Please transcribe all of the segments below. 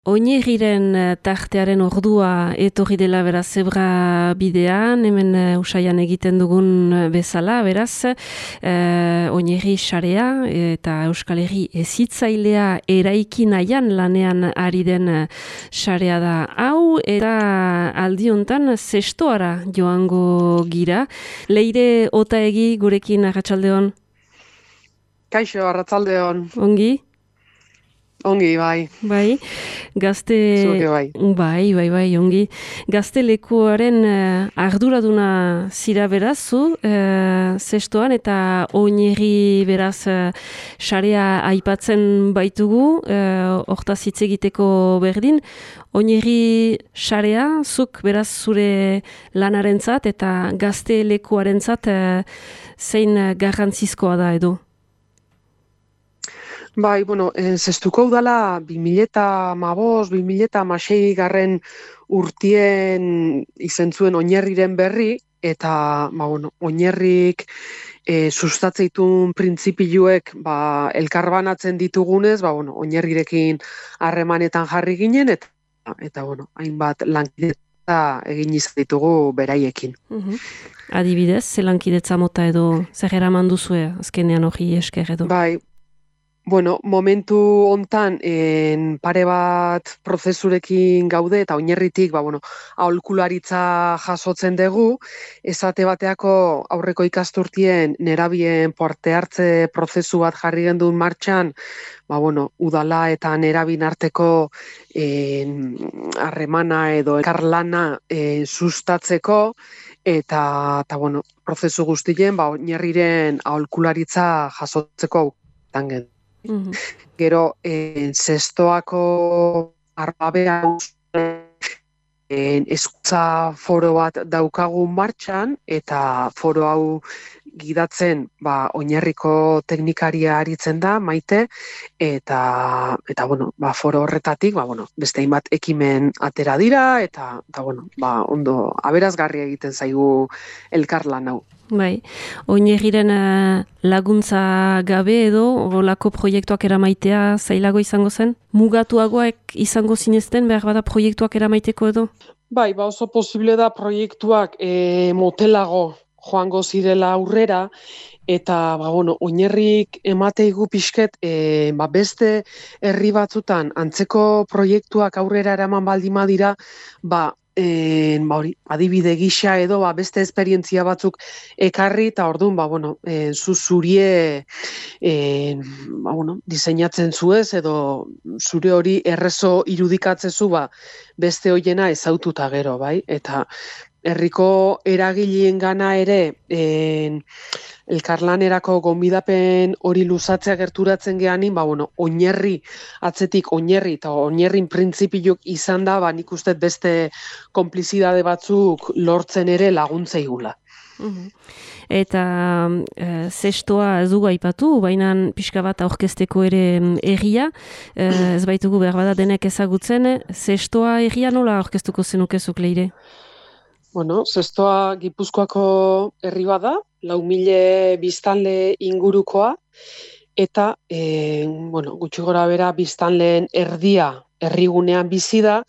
Oinirriren tartearen ordua etorri dela beraz zebra bidean, hemen usaian egiten dugun bezala, beraz, Oinirri sarea eta Euskal Herri hezitzailea eraiki nahian lanean ari den sarea da hau, eta aldi hontan zestoara joango gira. Leire Otaegi gurekin arratsaldeon. Kaixo, arratsaldeon. Ongi? Ongi, bai. Bai, gazte... Zuke bai. Bai, ongi. Gazte lekuaren arduraduna zira beraz, zu, zestoan, eta Oinirri beraz sarea aipatzen baitugu, hortaz hitz egiteko berdin. Oinirri sarea, zuk beraz zure lanarentzat eta gazte lekuarentzat zein garrantzizkoa da edo? Bai, zestuko udala 2015-2016 garren urtien izen zuen Oinirriren berri, eta Oinirrik sustatzeitun printzipioek elkarbanatzen ditugunez, Oinirrirekin harremanetan jarri ginen, eta hainbat lankidetza egin izan ditugu beraiekin. Adibidez, ze lankidetza mota edo zer eraman duzue azkenean hori esker edo? Bai, momentu hontan pare bat prozesurekin gaude eta Oinirritik aholkularitza jasotzen dugu, esate bateako aurreko ikasturtien nerabien parte hartze prozesu bat jarri gendun martxan, udala eta nerabin arteko harremana edo elkarlana sustatzeko, eta prozesu guztien Oinirriren aholkularitza jasotzeko tangen. Gero, zestoako arbabean hezkuntza foro bat daukagu martxan, eta foro hau gidatzen Oinarriko teknikaria aritzen da, Maite, eta foro horretatik beste hainbat ekimen atera dira, eta ondo aberazgarria egiten zaigu elkarlan hau. Bai, Oinirriren laguntza gabe edo olako proiektuak eramaitea zailago izango zen? Mugatuagoak izango zinezten behar bada proiektuak eramaiteko edo? Bai, oso posible da proiektuak motelago joango zirela aurrera, eta Oinirrik emateigu pixket beste herri batzutan antzeko proiektuak aurrera eraman baldin badira, adibide gisa edo beste esperientzia batzuk ekarri, eta orduan zurie diseinatzen zuez edo zure hori errezo irudikatzezu beste hoiena ezaututa gero, bai? Eta herriko eragileen gana ere elkarlanerako gonbidapen hori luzatzea gerturatzen geanin, Oinirri atzetik Oinirri eta Oinirrin printzipioak izan da, nik uste beste konplizidade batzuk lortzen ere laguntzeigula. Eta zestoa ez dugu aipatu, baina pixka bat aurkezteko ere herria, ez baitugu behar bada denek ezagutzen, zestoa herria nola aurkeztuko zenukezuk, Leire? Zestoa Gipuzkoako herri bada, 4.000 biztanle ingurukoa, eta gutxi gora bera biztanleen erdia herrigunean bizi da,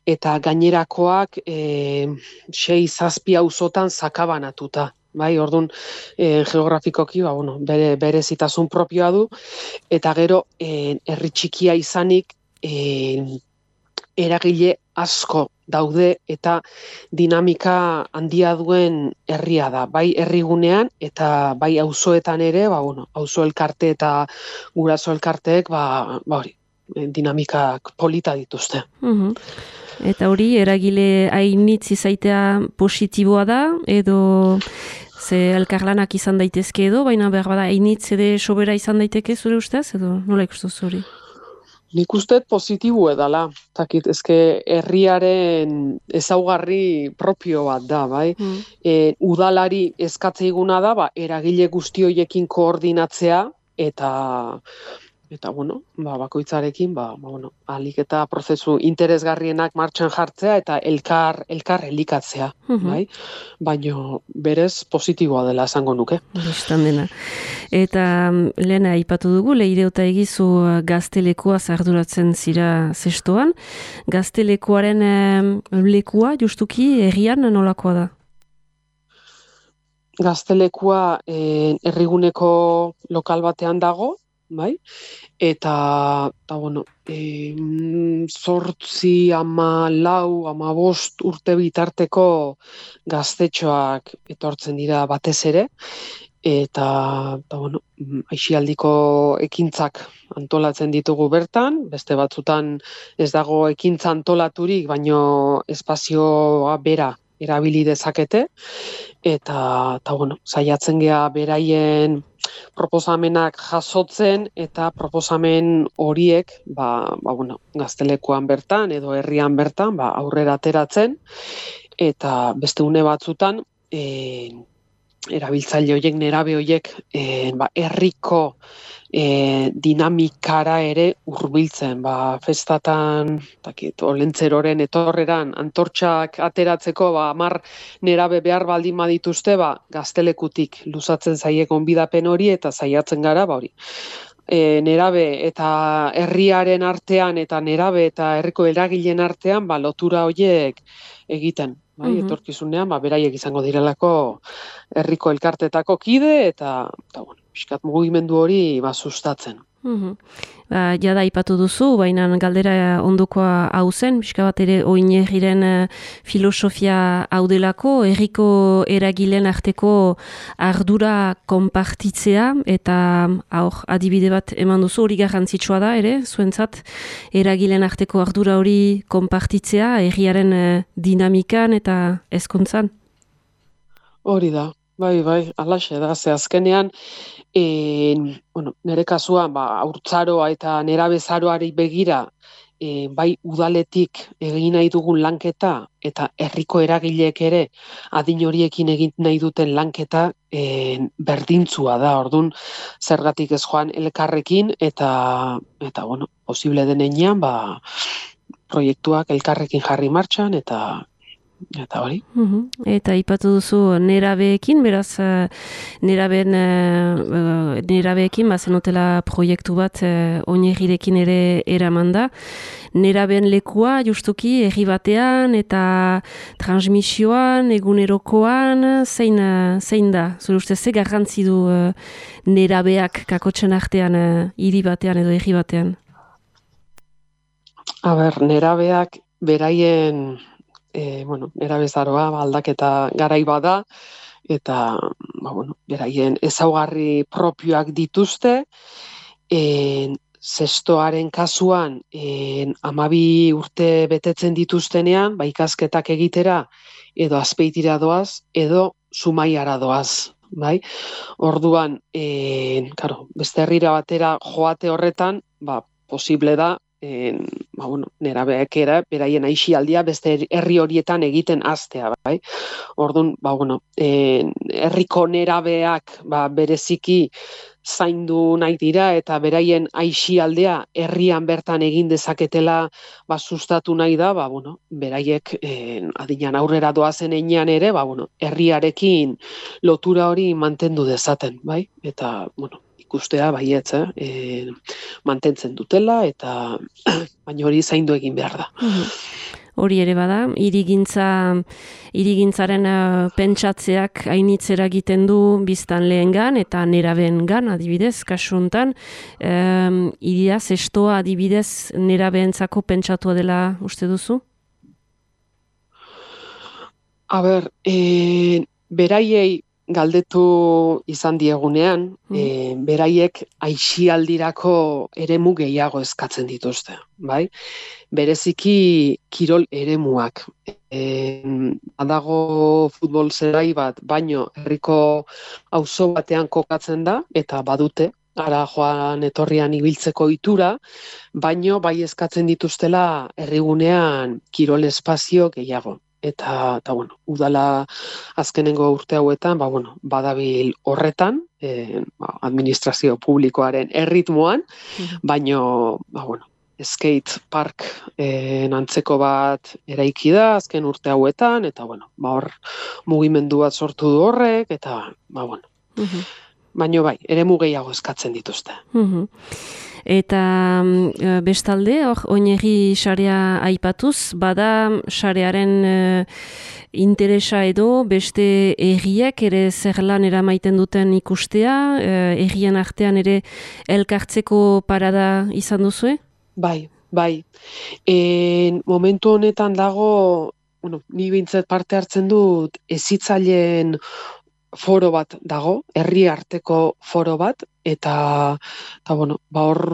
eta gainerakoak 6-7 auzotan sakabanatuta. Bai, orduan geografikoki berezitasun propioa du, eta gero herri txikia izanik eragile asko daude eta dinamika handia duen herria da, bai herrigunean eta bai auzoetan ere, auzo elkarte eta guraso elkarteek dinamikak polita dituzte. Eta hori eragile hainitz izaitea positiboa da, edo ze elkarlanak izan daitezke edo, baina behar bada hainitz ere sobera izan daiteke zure ustez, edo nola ikustuz hori? Nik uste positibo edala, ezke herriaren ezaugarri propio bat da, bai? Udalari eskatzeiguna da, eragile guzti horiekin koordinatzea, eta bueno, bakoitzarekin, ahalik eta prozesu interesgarrienak martxan jartzea eta elkar elikatzea, bai? Baino berez positiboa dela esango nuke. Bistan dena. Eta lehen aipatu dugu, Leire Otaegizu Gaztelekuaz arduratzen zira zestoan. Gaztelekuaren lekua, justuki, herrian nolakoa da? Gaztelekua herriguneko lokal batean dago, bai? Eta bueno, 8, 14, 15 urte bitarteko gaztetxoak etortzen dira batez ere, eta bueno, aisialdiko ekintzak antolatzen ditugu bertan, beste batzutan ez dago ekintza antolaturik, baino espazioa bera erabili dezakete, eta bueno, saiatzen gea beraien proposamenak jasotzen eta proposamen horiek bueno, Gaztelekuan bertan edo herrian bertan aurrera ateratzen, eta beste une batzutan erabiltzaile horiek, nerabe horiek herriko dinamikara ere hurbiltzen, festatan, olentzeroren etorreran antortxak ateratzeko 10 nerabe behar baldin badituzte, Gaztelekutik luzatzen zaie gonbidapen hori eta saiatzen gara hori. Nerabe eta herriaren artean eta nerabe eta herriko eragileen artean lotura horiek egiten. Etorkizunean, beraiek izango direlako herriko elkartetako kide eta bueno, pixkat mugimendu hori sustatzen. Jada aipatu duzu, baina galdera ondokoa hau zen, pixka bat ere Oinarriren filosofia hau delako, herriko eragileen arteko ardura konpartitzea, eta adibide bat eman duzu, hori garrantzitsua da ere, zuentzat, eragileen arteko ardura hori konpartitzea, herriaren dinamikan eta hezkuntzan? Hori da. Bai, alaxe da, ze azkenean, bueno, nire kasuan, haurtzaroa eta nerabezaroari begira, bai udaletik egin nahi dugun lanketa, eta herriko eragileek ere adin horiekin egin nahi duten lanketa berdintzua da, orduan zergatik ez joan elkarrekin, eta bueno, posible denean, proiektuak elkarrekin jarri martxan, eta hori. Eta ipatu duzu nerabeekin, beraz nerabeekin zenutela proiektu bat Oinarrirekin ere eraman da. Nerabeen lekua justuki herri batean eta transmisioan, egunerokoan, zein da? Zure ustez, ze garrantzi du nerabeak kakotzen artean hiri batean edo herri batean? Nerabeak beraien bueno, nerabezaroa aldaketa garai bada, eta bueno, beraien ezaugarri propioak dituzte, zestoaren kasuan 12 urte betetzen dituztenean, ikasketak egitera edo Azpeitira doaz, edo Zumaiara doaz. Bai? Orduan, beste herrira batera joate horretan, posible da, bueno, nerabeak era, beraien aisialdia beste herri horietan egiten hastea, bai. Orduan, bueno, herriko nerabeak bereziki zaindu nahi dira eta beraien aisialdea herrian bertan egin dezaketela sustatu nahi da, bueno, beraiek adinean aurrera doazen heinean ere, bueno, herriarekin lotura hori mantendu dezaten, bai? Eta, bueno, ikustea baietz, mantentzen dutela, eta baina hori zaindu egin behar da. Hori ere bada, hirigintzaren pentsatzeak hainitzera egiten du biztan lehengan eta nerabeengan adibidez, kasu honetan, hiria zestoa adibidez nerabeentzako pentsatua dela uste duzu? Beraiei galdetu izan diegunean, beraiek aisialdirako eremu gehiago eskatzen dituzte, bai? Bereziki kirol eremuak. Badago futbol zelai bat, baino herriko auzo batean kokatzen da, eta badute, ara joan etorrian ibiltzeko ohitura, baino bai eskatzen dituztela herrigunean kirol espazio gehiago. Eta bueno, udala azkenengo urte hauetan, bueno, badabil horretan, administrazio publikoaren erritmoan, baino, skate park antzeko bat eraiki da azken urte hauetan, eta hor mugimendu bat sortu du horrek, eta baino bai, eremu gehiago eskatzen dituzte. Eta bestalde, oinegi sarea aipatuz, bada sarearen interesa edo beste erriek ere zer lan eramaiten duten ikustea, errien artean ere elkartzeko parada izan duzue? Bai. Momentu honetan dago, ni behintzat parte hartzen dut hezitzaileen foro bat dago, herri arteko foro bat, eta hor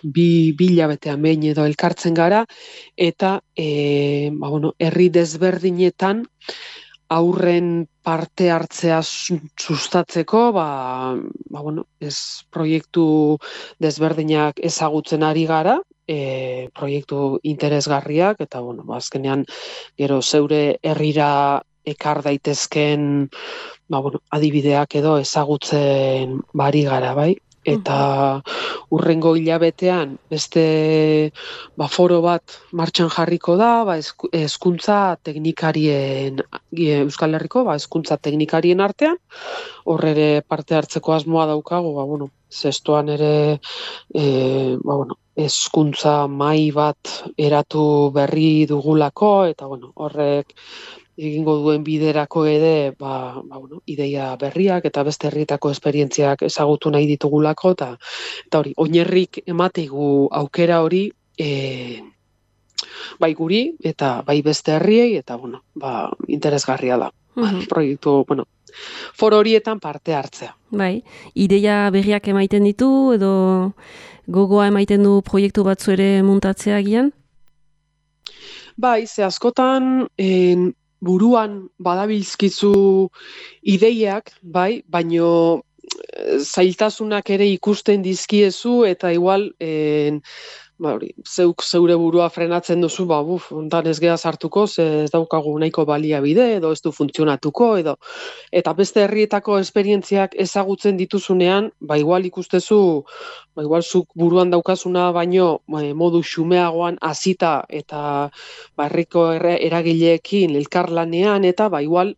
bi hilabetean behin edo elkartzen gara, eta herri desberdinetan aurren parte hartzea sustatzeko, proiektu desberdinak ezagutzen ari gara, proiektu interesgarriak, eta azkenean gero zeure herrira ekar daitezken adibideak edo ezagutzen bari gara, bai? Eta hurrengo hilabetean beste foro bat martxan jarriko da, hezkuntza teknikarien, Euskal Herriko hezkuntza teknikarien artean, hor ere parte hartzeko asmoa daukagu, zestoan ere hezkuntza mahai bat eratu berri dugulako, eta horrek egingo duen biderako ere, ideia berriak eta beste herrietako esperientziak ezagutu nahi ditugulako, eta hori, oinerrik emateigu aukera hori, bai guri, eta bai beste herriei, eta interesgarria da. Proiektu, foro horietan parte hartzea. Bai, ideia berriak emaiten ditu, edo gogoa emaiten du proiektu batzu ere muntatzea gian? Bai, ze askotan buruan badabilzkizu ideiak, bai, baino zailtasunak ere ikusten dizkiezu, eta igual zeuk zeure burua frenatzen duzu, ontan ez geha sartuko, ez daukagu nahiko baliabide, edo ez du funtzionatuko, eta beste herrietako esperientziak ezagutzen dituzunean, igual ikustezu, igual zuk buruan daukazuna baino modu xumeagoan hasita eta herriko eragileekin elkarlanean, eta igual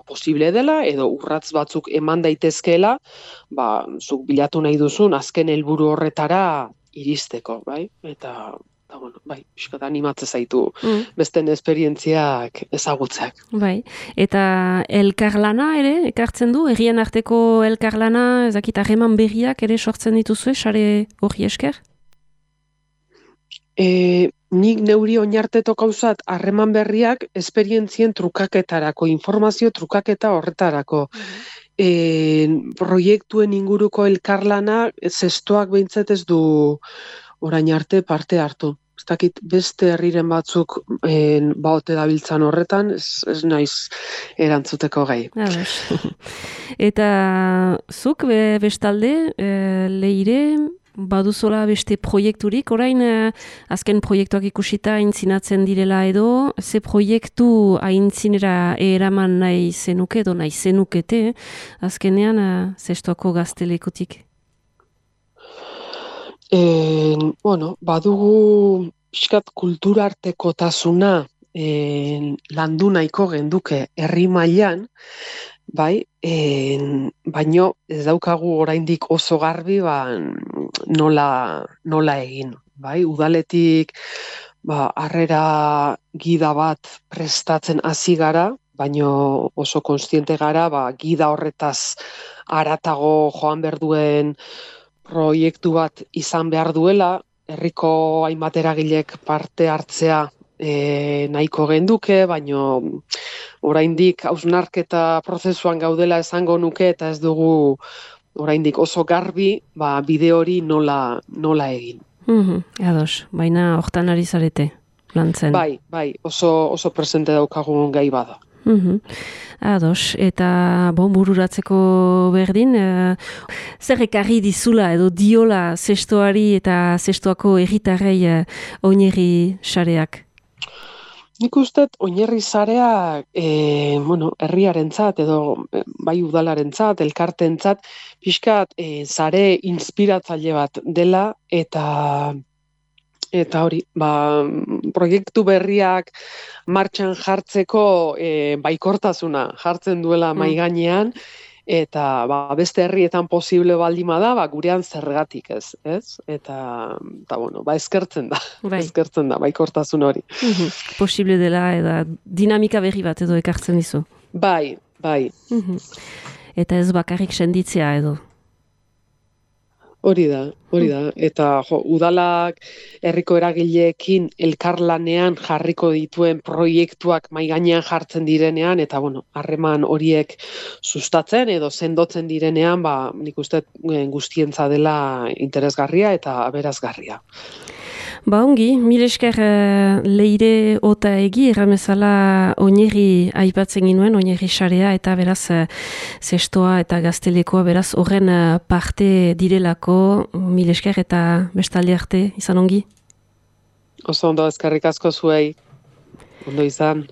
posible dela, edo urratz batzuk eman daitezkeela, zuk bilatu nahi duzun azken helburu horretara iristeko, bai? Eta, pixkat animatze zaitu besten esperientziak ezagutzeak. Bai, eta elkarlana ere, ekartzen du, herrien arteko elkarlana, ezakit, harreman berriak ere sortzen dituzue, sare hori esker? Nik neuri oinarteto gauzat harreman berriak esperientzien trukaketarako, informazio trukaketa horretarako. Proiektuen inguruko elkarlana zestoak behintzat ez du orain arte parte hartu. Ez dakit beste herriren batzuk baote dabiltzan horretan, ez naiz erantzuteko gai. Eta zuk bestalde, Leire, baduzola beste proiekturik, orain azken proiektuak ikusita aintzinatzen direla edo, ze proiektu aintzinera eraman nahi zenuke edo nahi zenukete, azkenean zestoako gaztelekutik? Badugu pixkat kulturartekotasuna landu nahiko genduke herri mailan, bai, baino ez daukagu oraindik oso garbi nola egin, bai, udaletik harrera gida bat prestatzen hasi gara, baino oso kontziente gara, gida horretaz haratago joan behar duen proiektu bat izan behar duela, herriko hainbat eragilek parte hartzea nahiko genduke, baino oraindik hausnarketa prozesuan gaudela esango nuke, eta ez dugu oraindik oso garbi bide hori nola egin. Ados, baina hortan ari zarete lantzen. Bai, oso presente daukagun gai bada. Ados, eta bururatzeko berdin, zer ekarri dizula edo diola zestoari eta zestoako herritarrei oinegi sareak? Nik uste oinarri zarea bueno, herriarentzat edo bai udalarentzat, elkarteentzat pixkat sare inspiratzaile bat dela eta hori, proiektu berriak martxan jartzeko baikortasuna jartzen duela mahai gainean, eta beste herrietan posible baldima da, gurean zergatik ez? Eta bueno, eskertzen da, Bai. eskertzen da baikortasun hori. Posible dela eta dinamika berri bat edo ekartzen dizu. Bai. Eta ez bakarrik senditzea edo. Hori da. Eta udalak herriko eragileekin elkarlanean jarriko dituen proiektuak mahai gainean jartzen direnean, eta harreman horiek sustatzen edo sendotzen direnean, nik uste guztientza dela interesgarria eta aberasgarria. Ongi, mil esker Leire Otaegi erramezala oineri aipatzen ginuen, oineri sarea eta beraz zestoa eta gaztelekoa beraz horren parte direlako, mil esker eta bestalde arte, izan ongi? Oso ondo, eskerrik asko zuei, ondo izan.